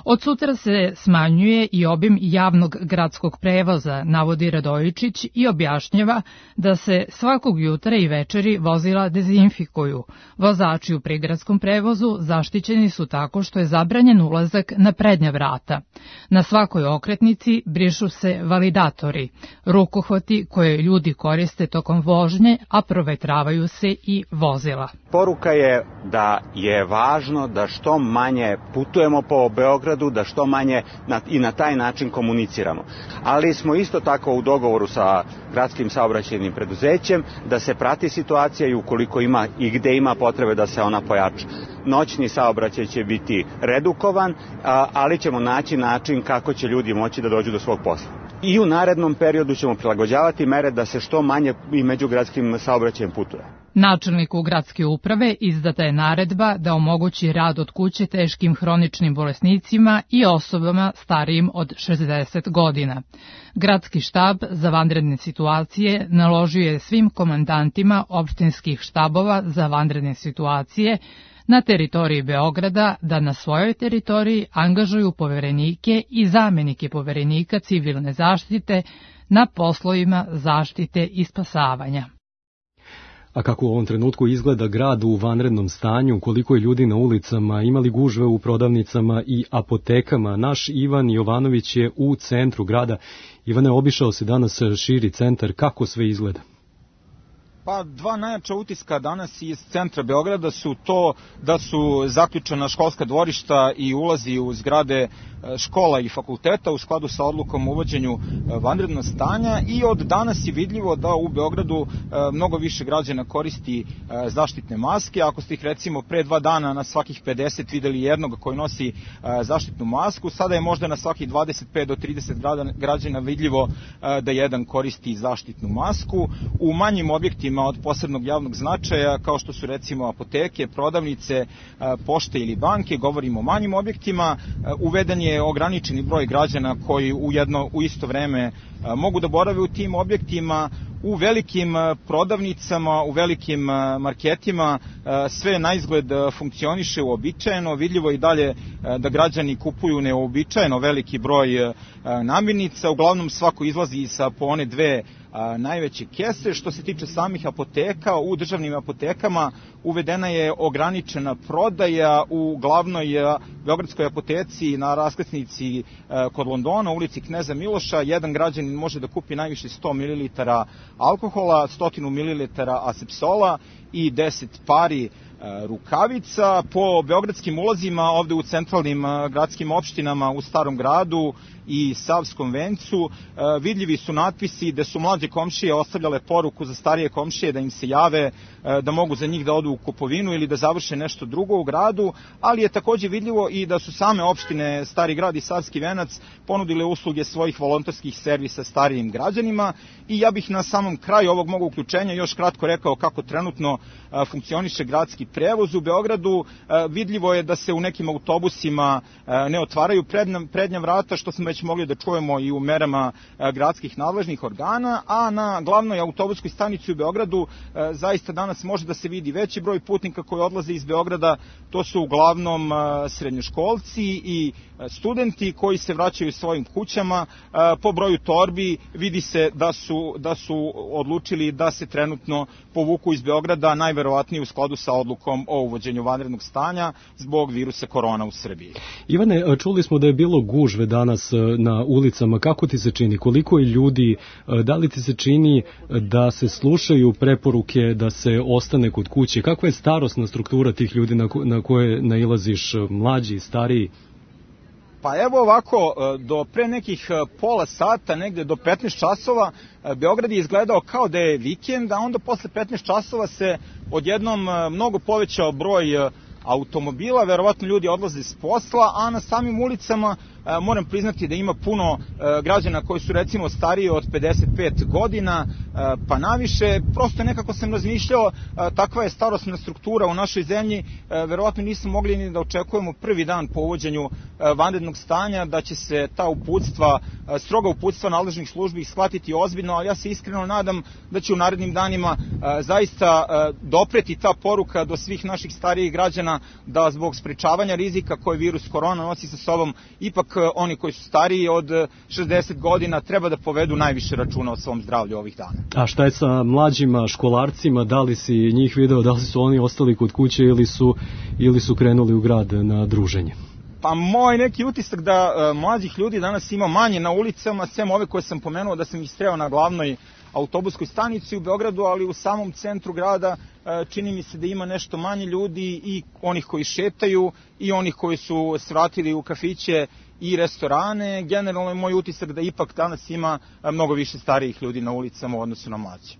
Od sutra se smanjuje i obim javnog gradskog prevoza, navodi Radojičić i objašnjava da se svakog jutra i večeri vozila dezinfikuju. Vozači u prigradskom prevozu zaštićeni su tako što je zabranjen ulazak na prednja vrata. Na svakoj okretnici brišu se validatori, rukohvati koje ljudi koriste tokom vožnje, a provetravaju se i vozila. Poruka je da je važno da što manje putujemo po Beogradu, da što manje i na taj način komuniciramo. Ali smo isto tako u dogovoru sa gradskim saobraćajnim preduzećem da se prati situacija i ukoliko ima i gde ima potrebe da se ona pojača. Noćni saobraćaj će biti redukovan, ali ćemo naći način kako će ljudi moći da dođu do svog posla. I u narednom periodu ćemo prilagođavati mere da se što manje i međugradskim saobraćajem putuje. Načelniku gradske uprave izdata je naredba da omogući rad od kuće teškim hroničnim bolesnicima i osobama starijim od 60 godina. Gradski štab za vanredne situacije naložio je svim komandantima opštinskih štabova za vanredne situacije na teritoriji Beograda da na svojoj teritoriji angažuju poverenike i zamenike poverenika civilne zaštite na poslovima zaštite i spasavanja. A kako u ovom trenutku izgleda grad u vanrednom stanju, koliko je ljudi na ulicama, imali gužve u prodavnicama i apotekama, naš Ivan Jovanović je u centru grada. Ivane, obišao se danas širi centar, kako sve izgleda? Pa dva najjača utiska danas iz centra Beograda su to da su zaključena školska dvorišta i ulazi u zgrade škola i fakulteta u skladu sa odlukom o uvođenju vanrednog stanja i od danas je vidljivo da u Beogradu mnogo više građana koristi zaštitne maske. Ako ste ih recimo pre 2 dana na svakih 50 videli jednog koji nosi zaštitnu masku, sada je možda na svakih 25 do 30 građana vidljivo da jedan koristi zaštitnu masku. U manjim objektima od posebnog javnog značaja, kao što su recimo apoteke, prodavnice, pošte ili banke, govorimo o manjim objektima, uveden je ograničeni broj građana koji u isto vreme mogu da borave u tim objektima. U velikim prodavnicama, u velikim marketima sve na izgled funkcioniše uobičajeno, vidljivo i dalje da građani kupuju neuobičajeno veliki broj namirnica, uglavnom svako izlazi sa po one 2 najveće kese. Što se tiče samih apoteka, u državnim apotekama uvedena je ograničena prodaja u glavnoj beogradskoj apoteci na raskrsnici kod Londona, u ulici Kneza Miloša. Jedan građanin može da kupi najviše 100 ml alkohola, 100 ml asepsola i 10 pari rukavica. Po beogradskim ulazima ovde u centralnim gradskim opštinama u Starom gradu i Savskom vencu vidljivi su natpisi da su mlađe komšije ostavljale poruku za starije komšije da im se jave, da mogu za njih da odu u kupovinu ili da završe nešto drugo u gradu, ali je takođe vidljivo i da su same opštine Stari grad i Savski venac ponudile usluge svojih volonterskih servisa starijim građanima. I ja bih na samom kraju ovog mog uključenja još kratko rekao kako trenutno funkcioniše gradski prevoz u Beogradu. Vidljivo je da se u nekim autobusima ne otvaraju prednja vrata, što smo već mogli da čujemo i u merama gradskih nadležnih organa, a na glavnoj autobuskoj stanici u Beogradu zaista danas može da se vidi veći broj putnika koji odlaze iz Beograda. To su uglavnom srednjoškolci i studenti koji se vraćaju svojim kućama. Po broju torbi vidi se da su odlučili da se trenutno povuku iz Beograda, najverovatnije u skladu sa odlukom o uvođenju vanrednog stanja zbog virusa korona u Srbiji. Ivane, čuli smo da je bilo gužve danas na ulicama. Kako ti se čini? Koliko je ljudi? Da li ti se čini da se slušaju preporuke da se ostane kod kuće? Kakva je starosna struktura tih ljudi na koje nailaziš, mlađi, stariji? Pa evo ovako, do pre nekih pola sata, negde do 15 časova, Beograd je izgledao kao da je vikend, a onda posle 15 časova se odjednom mnogo povećao broj automobila, verovatno ljudi odlaze s posla, a na samim ulicama moram priznati da ima puno građana koji su recimo stariji od 55 godina pa naviše. Prosto nekako sam razmišljao, takva je starosna struktura u našoj zemlji, verovatno nismo mogli ni da očekujemo prvi dan po uvođenju vanrednog stanja da će se ta uputstva, stroga uputstva nadležnih službi shvatiti ozbiljno, ali ja se iskreno nadam da će u narednim danima zaista dopreti ta poruka do svih naših starijih građana da zbog sprečavanja rizika koje virus korona nosi sa sobom, ipak oni koji su stariji od 60 godina treba da povedu najviše računa o svom zdravlju ovih dana. A šta je sa mlađima školarcima, da li si njih video, da li su oni ostali kod kuće ili su krenuli u grad na druženje? Pa moj neki utisak da mlađih ljudi danas ima manje na ulicama, sem ove koje sam pomenuo da sam ih sreo na glavnoj autobuskoj stanici u Beogradu, ali u samom centru grada čini mi se da ima nešto manje ljudi, i onih koji šetaju i onih koji su svratili u kafiće i restorane. Generalno je moj utisak da ipak danas ima mnogo više starijih ljudi na ulicama u odnosu na mlađe.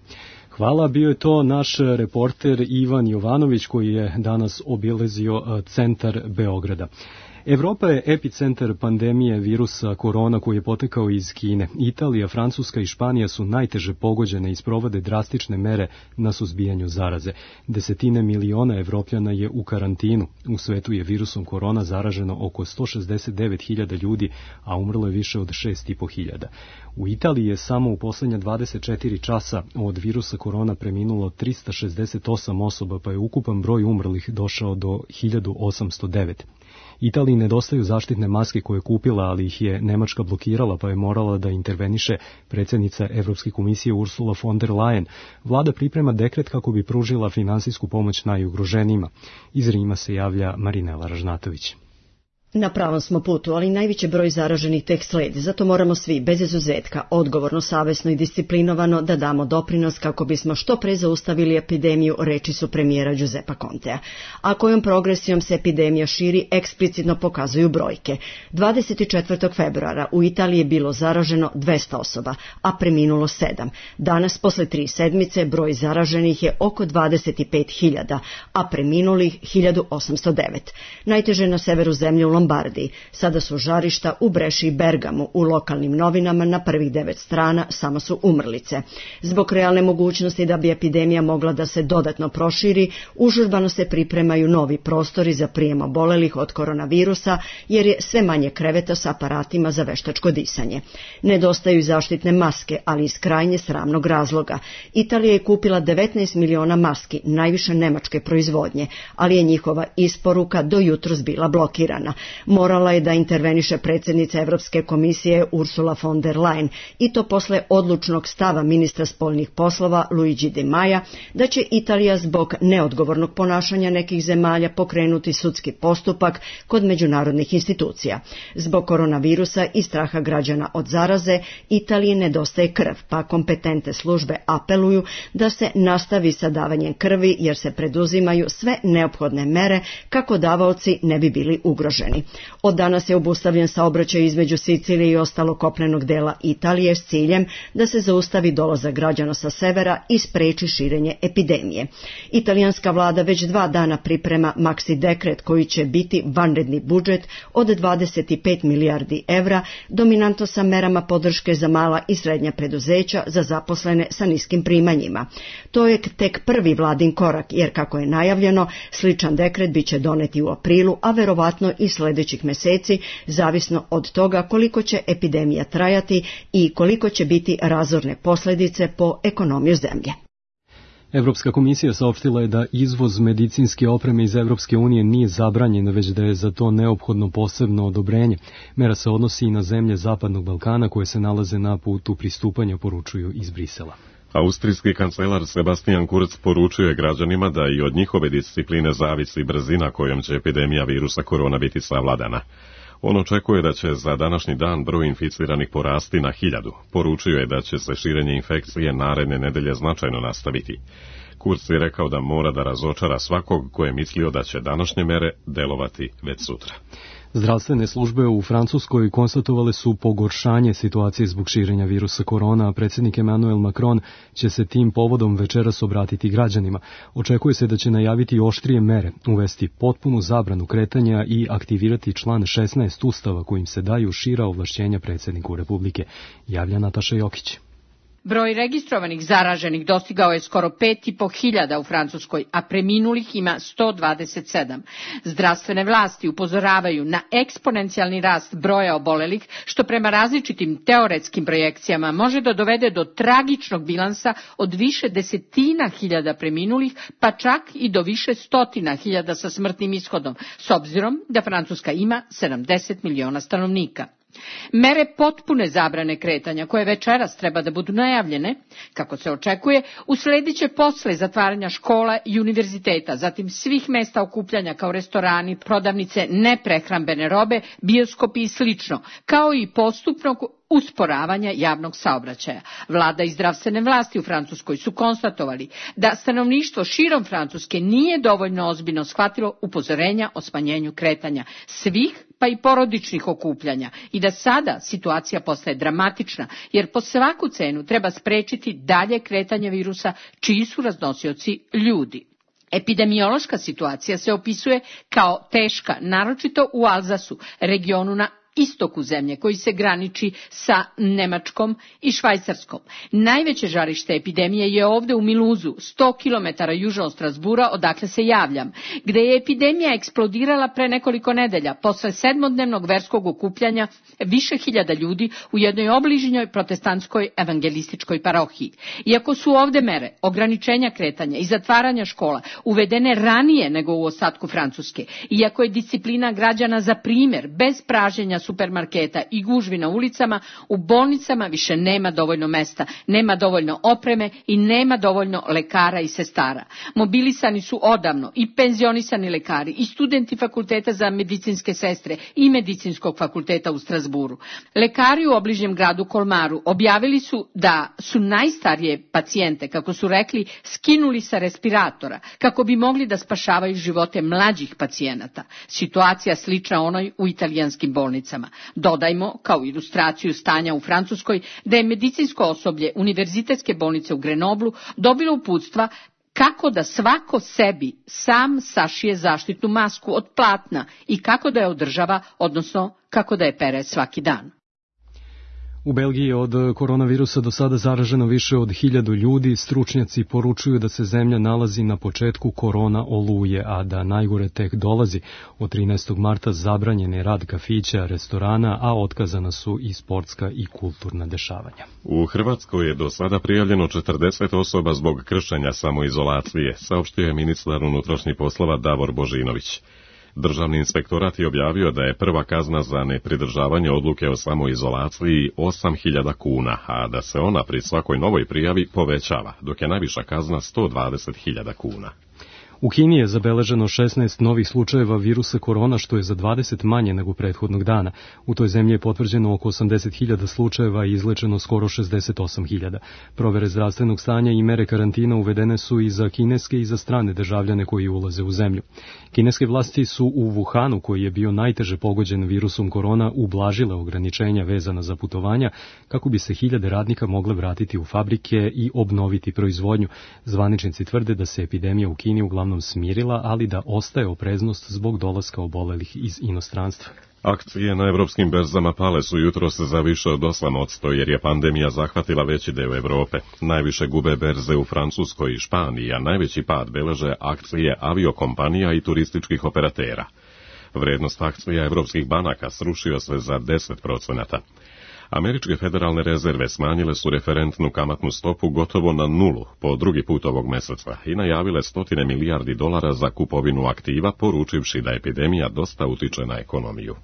Hvala, bio je to naš reporter Ivan Jovanović koji je danas obilazio centar Beograda. Evropa je epicentar pandemije virusa korona koji je potekao iz Kine. Italija, Francuska i Španija su najteže pogođene i sprovode drastične mere na suzbijanju zaraze. Desetine miliona Evropljana je u karantinu. U svetu je virusom korona zaraženo oko 169.000 ljudi, a umrlo je više od 6.500. U Italiji je samo u poslednja 24 časa od virusa korona preminulo 368 osoba, pa je ukupan broj umrlih došao do 1809. Italiji nedostaju zaštitne maske koje je kupila, ali ih je Nemačka blokirala, pa je morala da interveniše predsjednica Evropske komisije Ursula von der Leyen. Vlada priprema dekret kako bi pružila finansijsku pomoć najugroženijima. Iz Rima se javlja Marinela Ražnatović. Na pravom smo putu, ali najveći broj zaraženih tek sledi, zato moramo svi, bez izuzetka, odgovorno, savesno i disciplinovano da damo doprinos kako bismo što pre zaustavili epidemiju, reči su premijera Giuseppa Contea. A kojom progresijom se epidemija širi, eksplicitno pokazuju brojke. 24. februara u Italiji je bilo zaraženo 200 osoba, a preminulo 7. Danas, posle 3 sedmice, broj zaraženih je oko 25.000, a preminulih 1.809. Najteže na severu zemlje u Lombardiji. Sada su žarišta u Breši i Bergamu. U lokalnim novinama na prvih 9 strana samo su umrlice. Zbog realne mogućnosti da bi epidemija mogla da se dodatno proširi, užurbano se pripremaju novi prostori za prijem obolelih od koronavirusa, jer je sve manje kreveta s aparatima za veštačko disanje. Nedostaju zaštitne maske, ali iz krajnje sramnog razloga. Italija je kupila 19 miliona maski, najviše nemačke proizvodnje, ali je njihova isporuka do jutros bila blokirana. Morala je da interveniše predsjednica Evropske komisije Ursula von der Leyen, i to posle odlučnog stava ministra spoljnih poslova Luigi Di Maia da će Italija zbog neodgovornog ponašanja nekih zemalja pokrenuti sudski postupak kod međunarodnih institucija. Zbog koronavirusa i straha građana od zaraze, Italiji nedostaje krv, pa kompetentne službe apeluju da se nastavi sa davanjem krvi, jer se preduzimaju sve neophodne mere kako davaoci ne bi bili ugroženi. Od danas je obustavljen saobraćaj između Sicilije i ostalog kopnenog dela Italije s ciljem da se zaustavi dolazak građana sa severa i spreči širenje epidemije. Italijanska vlada već 2 dana priprema maksi dekret koji će biti vanredni budžet od 25 milijardi evra, dominantno sa merama podrške za mala i srednja preduzeća za zaposlene sa niskim primanjima. To je tek prvi vladin korak, jer kako je najavljeno, sličan dekret biće doneti u aprilu, a verovatno i sljedećih meseci, zavisno od toga koliko će epidemija trajati i koliko će biti razorne posljedice po ekonomiju zemlje. Evropska komisija saopštila je da izvoz medicinske opreme iz Evropske unije nije zabranjen, već da je za to neophodno posebno odobrenje. Mera se odnosi i na zemlje Zapadnog Balkana koje se nalaze na putu pristupanja, poručuju iz Brisela. Austrijski kancelar Sebastian Kurz poručuje građanima da i od njihove discipline zavisi brzina kojom će epidemija virusa korona biti savladana. On očekuje da će za današnji dan broj inficiranih porasti na 1000. Poručio je da će se širenje infekcije naredne nedelje značajno nastaviti. Kurz je rekao da mora da razočara svakog ko je mislio da će današnje mere delovati već sutra. Zdravstvene službe u Francuskoj konstatovale su pogoršanje situacije zbog širenja virusa korona, a predsjednik Emmanuel Macron će se tim povodom večeras obratiti građanima. Očekuje se da će najaviti oštrije mere, uvesti potpunu zabranu kretanja i aktivirati član 16 Ustava kojim se daju šira ovlašćenja predsjedniku Republike, javlja Nataša Jokić. Broj registrovanih zaraženih dostigao je skoro 5.500 u Francuskoj, a preminulih ima 127. Zdravstvene vlasti upozoravaju na eksponencijalni rast broja obolelih, što prema različitim teoretskim projekcijama može da dovede do tragičnog bilansa od više desetina hiljada preminulih, pa čak i do više stotina hiljada sa smrtnim ishodom, s obzirom da Francuska ima 70 miliona stanovnika. Mere potpune zabrane kretanja, koje večeras treba da budu najavljene, kako se očekuje, usledit će posle zatvaranja škola i univerziteta, zatim svih mesta okupljanja kao restorani, prodavnice neprehrambene robe, bioskopi i slično, kao i postupnog usporavanja javnog saobraćaja. Vlada i zdravstvene vlasti u Francuskoj su konstatovali da stanovništvo širom Francuske nije dovoljno ozbiljno shvatilo upozorenja o smanjenju kretanja svih, pa i porodičnih okupljanja, i da sada situacija postaje dramatična, jer po svaku cenu treba sprečiti dalje kretanje virusa čiji su raznosioci ljudi. Epidemiološka situacija se opisuje kao teška, naročito u Alzasu, regionu na istoku zemlje koji se graniči sa Nemačkom i Švajcarskom. Najveće žarište epidemije je ovde u Miluzu, 100 km južno od Strasbura, odakle se javljam, gde je epidemija eksplodirala pre nekoliko nedelja, posle 7-dnevnog verskog okupljanja više hiljada ljudi u jednoj obližnjoj protestantskoj evangelističkoj parohiji. Iako su ovde mere ograničenja kretanja i zatvaranja škola uvedene ranije nego u ostatku Francuske, iako je disciplina građana za primer, bez pražnjenja supermarketa i gužvi na ulicama, u bolnicama više nema dovoljno mesta, nema dovoljno opreme i nema dovoljno lekara i sestara. Mobilisani su odavno i penzionisani lekari i studenti fakulteta za medicinske sestre i medicinskog fakulteta u Strasburu. Lekari u obližnjem gradu Kolmaru objavili su da su najstarije pacijente, kako su rekli, skinuli sa respiratora, kako bi mogli da spašavaju živote mlađih pacijenata. Situacija slična onoj u italijanskim bolnicama. Dodajmo, kao ilustraciju stanja u Francuskoj, da je medicinsko osoblje Univerzitetske bolnice u Grenoblu dobilo uputstva kako da svako sebi sam sašije zaštitnu masku od platna i kako da je održava, odnosno kako da je pere svaki dan. U Belgiji je od koronavirusa do sada zaraženo više od 1000 ljudi. Stručnjaci poručuju da se zemlja nalazi na početku korona oluje, a da najgore tek dolazi. Od 13. marta zabranjen je rad kafića, restorana, a otkazana su i sportska i kulturna dešavanja. U Hrvatskoj je do sada prijavljeno 40 osoba zbog kršenja samoizolacije, saopštio je ministar unutrašnjih poslova Davor Božinović. Državni inspektorat je objavio da je prva kazna za nepridržavanje odluke o samoizolaciji 8.000 kuna, a da se ona pri svakoj novoj prijavi povećava, dok je najviša kazna 120.000 kuna. U Kini je zabeleženo 16 novih slučajeva virusa korona, što je za 20 manje nego prethodnog dana. U toj zemlji je potvrđeno oko 80.000 slučajeva i izlečeno skoro 68.000. Provere zdravstvenog stanja i mere karantina uvedene su i za kineske i za strane državljane koji ulaze u zemlju. Kineske vlasti su u Wuhanu, koji je bio najteže pogođen virusom korona, ublažile ograničenja vezana za putovanja kako bi se 1000 radnika mogle vratiti u fabrike i obnoviti proizvodnju. Zvaničnici tvrde da se epidemija u Kini uglavnom smirila, ali da ostaje opreznost zbog dolaska obolelih iz inostranstva. Akcije na evropskim berzama pale su jutros za više od 8%, jer je pandemija zahvatila veći deo Evrope. Najviše gube berze u Francuskoj i Španiji, a najveći pad beleže akcije aviokompanija i turističkih operatera. Vrednost akcija evropskih banaka srušio se za 10%. Američke federalne rezerve smanjile su referentnu kamatnu stopu gotovo na nulu po drugi put ovog meseca i najavile $100 milijardi za kupovinu aktiva, poručivši da epidemija dosta utiče na ekonomiju.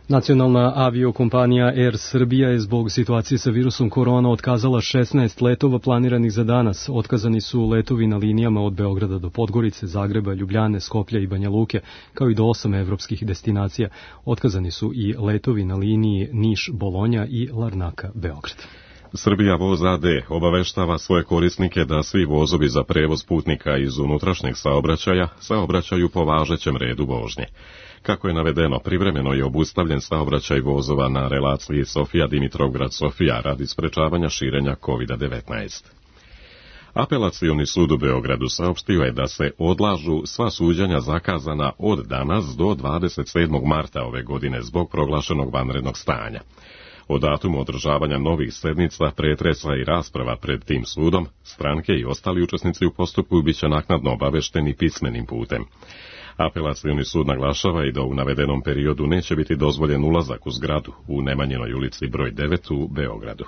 Nacionalna aviokompanija Air Srbija je zbog situacije sa virusom korona otkazala 16 letova planiranih za danas. Otkazani su letovi na linijama od Beograda do Podgorice, Zagreba, Ljubljane, Skoplja i Banja Luke, kao i do 8 evropskih destinacija. Otkazani su i letovi na liniji Niš-Bolonja i Larnaka-Beograd. Srbija Voz AD obaveštava svoje korisnike da svi vozovi za prevoz putnika iz unutrašnjeg saobraćaju po važećem redu vožnje. Kako je navedeno, privremeno je obustavljen saobraćaj vozova na relaciji Sofija-Dimitrovgrad-Sofija radi sprečavanja širenja COVID-19. Apelacioni sud u Beogradu saopštio je da se odlažu sva suđenja zakazana od danas do 27. marta ove godine zbog proglašenog vanrednog stanja. O datumu održavanja novih sednica, pretresa i rasprava pred tim sudom, stranke i ostali učesnici u postupku biće naknadno obavešteni pismenim putem. Apelacioni sud naglašava i da u navedenom periodu neće biti dozvoljen ulazak u zgradu u Nemanjinoj ulici broj 9 u Beogradu.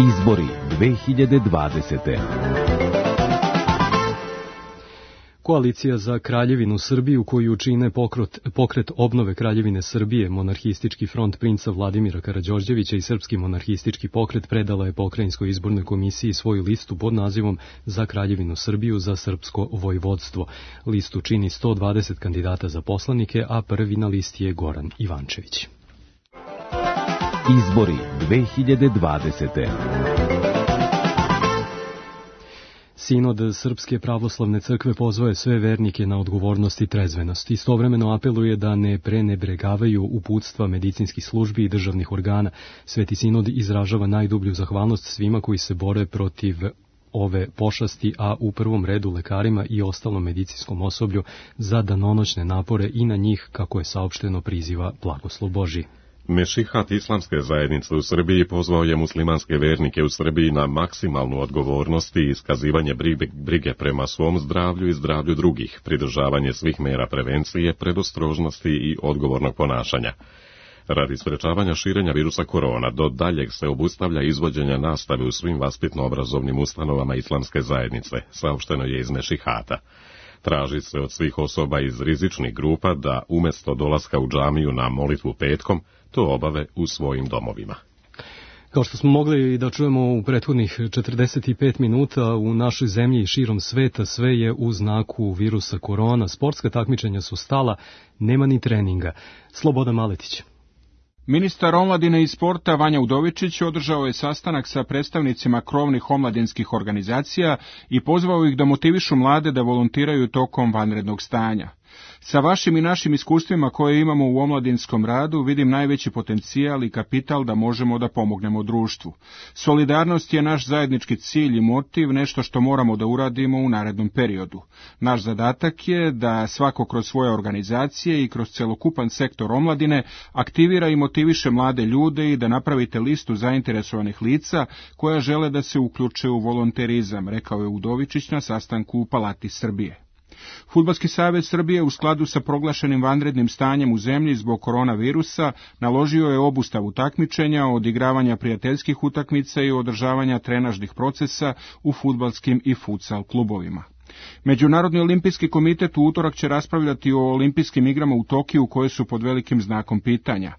Izbori 2020. Koalicija za Kraljevinu Srbiju, koju čine pokret obnove Kraljevine Srbije, monarhistički front princa Vladimira Karađorđevića i srpski monarhistički pokret, predala je Pokrajinskoj izbornoj komisiji svoju listu pod nazivom Za Kraljevinu Srbiju za srpsko vojvodstvo. Listu čini 120 kandidata za poslanike, a prvi na listi je Goran Ivančević. Izbori 2020. Sinod Srpske pravoslavne crkve pozvao sve vernike na odgovornost i trezvenost. Istovremeno apeluje da ne prenebregavaju uputstva medicinskih službi i državnih organa. Sveti sinod izražava najdublju zahvalnost svima koji se bore protiv ove pošasti, a u prvom redu lekarima i ostalom medicinskom osoblju za danonoćne napore i na njih, kako je saopšteno, priziva blagoslov Božji. Mešihat Islamske zajednice u Srbiji pozvao je muslimanske vernike u Srbiji na maksimalnu odgovornost i iskazivanje brige prema svom zdravlju i zdravlju drugih, pridržavanje svih mera prevencije, predostrožnosti i odgovornog ponašanja. Radi sprečavanja širenja virusa korona, do daljeg se obustavlja izvođenja nastave u svim vaspitno-obrazovnim ustanovama Islamske zajednice, saopšteno je iz Mešihata. Traži se od svih osoba iz rizičnih grupa da umjesto dolaska u džamiju na molitvu petkom, to obave u svojim domovima. Kao što smo mogli da čujemo u prethodnih 45 minuta, u našoj zemlji i širom sveta sve je u znaku virusa korona. Sportska takmičenja su stala, nema ni treninga. Slobodan Maletić. Ministar omladine i sporta Vanja Udovičić održao je sastanak sa predstavnicima krovnih omladinskih organizacija i pozvao ih da motivišu mlade da volontiraju tokom vanrednog stanja. Sa vašim i našim iskustvima koje imamo u omladinskom radu vidim najveći potencijal i kapital da možemo da pomognemo društvu. Solidarnost je naš zajednički cilj i motiv, nešto što moramo da uradimo u narednom periodu. Naš zadatak je da svako kroz svoje organizacije i kroz celokupan sektor omladine aktivira i motiviše mlade ljude i da napravite listu zainteresovanih lica koja žele da se uključe u volonterizam, rekao je Udovičić na sastanku u Palati Srbije. Fudbalski savez Srbije u skladu sa proglašenim vanrednim stanjem u zemlji zbog koronavirusa naložio je obustavu takmičenja, odigravanja prijateljskih utakmica i održavanja trenažnih procesa u fudbalskim i futsal klubovima. Međunarodni olimpijski komitet u utorak će raspravljati o olimpijskim igrama u Tokiju koje su pod velikim znakom pitanja.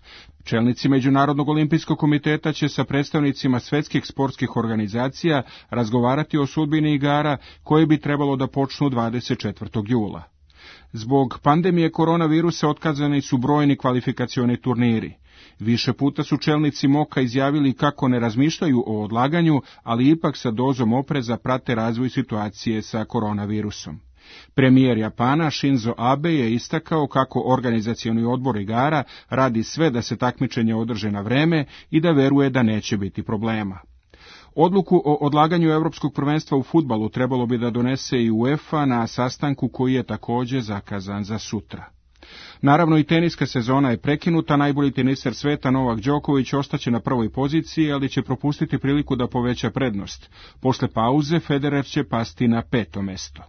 Čelnici Međunarodnog olimpijskog komiteta će sa predstavnicima svetskih sportskih organizacija razgovarati o sudbini igara koje bi trebalo da počnu 24. jula. Zbog pandemije koronavirusa otkazani su brojni kvalifikacioni turniri. Više puta su čelnici MOK-a izjavili kako ne razmišljaju o odlaganju, ali ipak sa dozom opreza prate razvoj situacije sa koronavirusom. Premijer Japana Shinzo Abe je istakao kako organizacioni odbor igara radi sve da se takmičenje održe na vreme i da veruje da neće biti problema. Odluku o odlaganju Evropskog prvenstva u fudbalu trebalo bi da donese i UEFA na sastanku koji je također zakazan za sutra. Naravno i teniska sezona je prekinuta, najbolji teniser sveta Novak Đoković ostaće na prvoj poziciji, ali će propustiti priliku da poveća prednost. Posle pauze Federer će pasti na 5. mesto.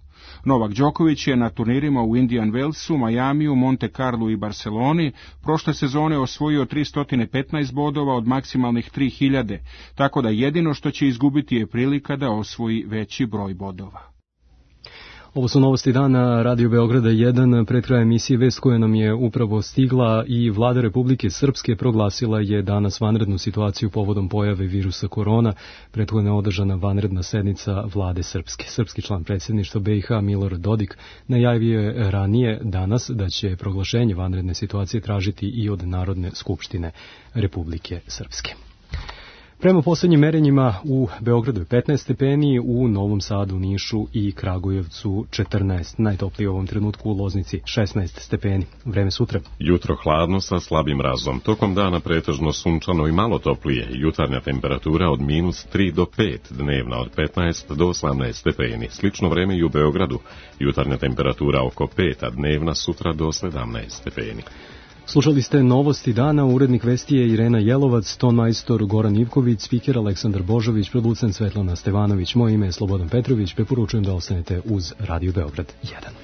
Novak Đoković je na turnirima u Indian Wellsu, Majamiju, Monte Carlu i Barceloni prošle sezone osvojio 315 bodova od maksimalnih 3000, tako da jedino što će izgubiti je prilika da osvoji veći broj bodova. Ovo su novosti dana Radio Beograda 1, pred krajem emisije vest koja nam je upravo stigla i Vlada Republike Srpske proglasila je danas vanrednu situaciju povodom pojave virusa korona. Prethodno je održana vanredna sednica Vlade Srpske. Srpski član predsjedništva BiH Milorad Dodik najavio je ranije danas da će proglašenje vanredne situacije tražiti i od Narodne skupštine Republike Srpske. Prema posljednjim merenjima u Beogradu je 15 stepeni, u Novom Sadu, Nišu i Kragujevcu 14. Najtoplije u ovom trenutku u Loznici 16 stepeni. Vreme sutra. Jutro hladno sa slabim mrazom. Tokom dana pretežno sunčano i malo toplije. Jutarnja temperatura od -3 do 5, dnevna od 15 do 18 stepeni. Slično vreme i u Beogradu. Jutarnja temperatura oko 5, a dnevna sutra do 17 stepeni. Slušali ste novosti dana, urednik vesti je Irena Jelovac, ton majstor Goran Ivković, spiker Aleksandar Božović, producent Svetlana Stevanović. Moje ime je Slobodan Petrović, preporučujem da ostanete uz Radio Beograd 1.